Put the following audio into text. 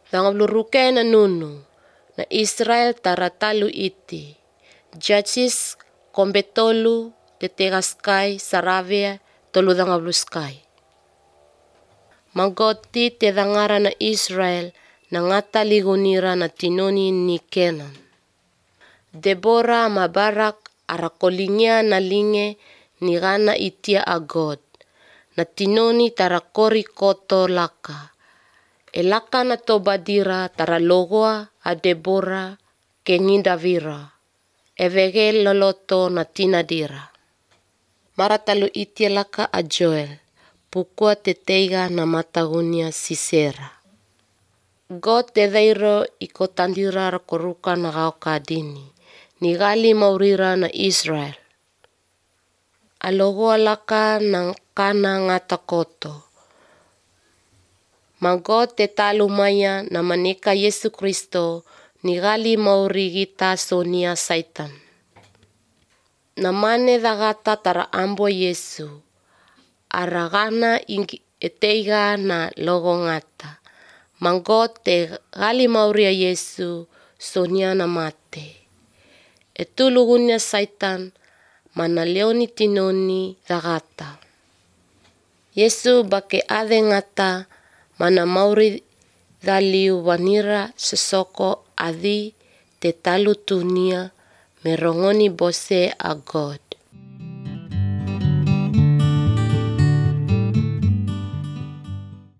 Dangabluruke na nunu na Israel taratalu iti. Judges kombetolu tetegaskai saravia tolu dangabluskai. Magoti te dangara na Israel na ngata ligunira na tinoni ni Kenan. Debora ma Barak arakolingia na linge ni gana itia agod. Na tinoni tarakori koto laka. Elaka na tobadira taralogoa a Debora kengindavira. Evege loloto na tinadira. Maratalu itia laka a Joel. Pukua teteiga na matagunia Sisera. God te deiro iko tandira rakoruka na gauka dini. Nigali maurira na Israel. Alogoa laka ng kana ngata koto. Magod te talumaya na maneka Yesu Kristo nigali maurigita sonia Satan. Namane dagata tara ambo Yesu. Aragana eteiga na logo ngata. Magod te gali mauria Yesu sonia na mate. Etulugunya Satan mana leoni tinoni dagata. Yesu bake ade ngata mana mauri daliu wanira sesoko adi te talu tunia merongoni bose a God.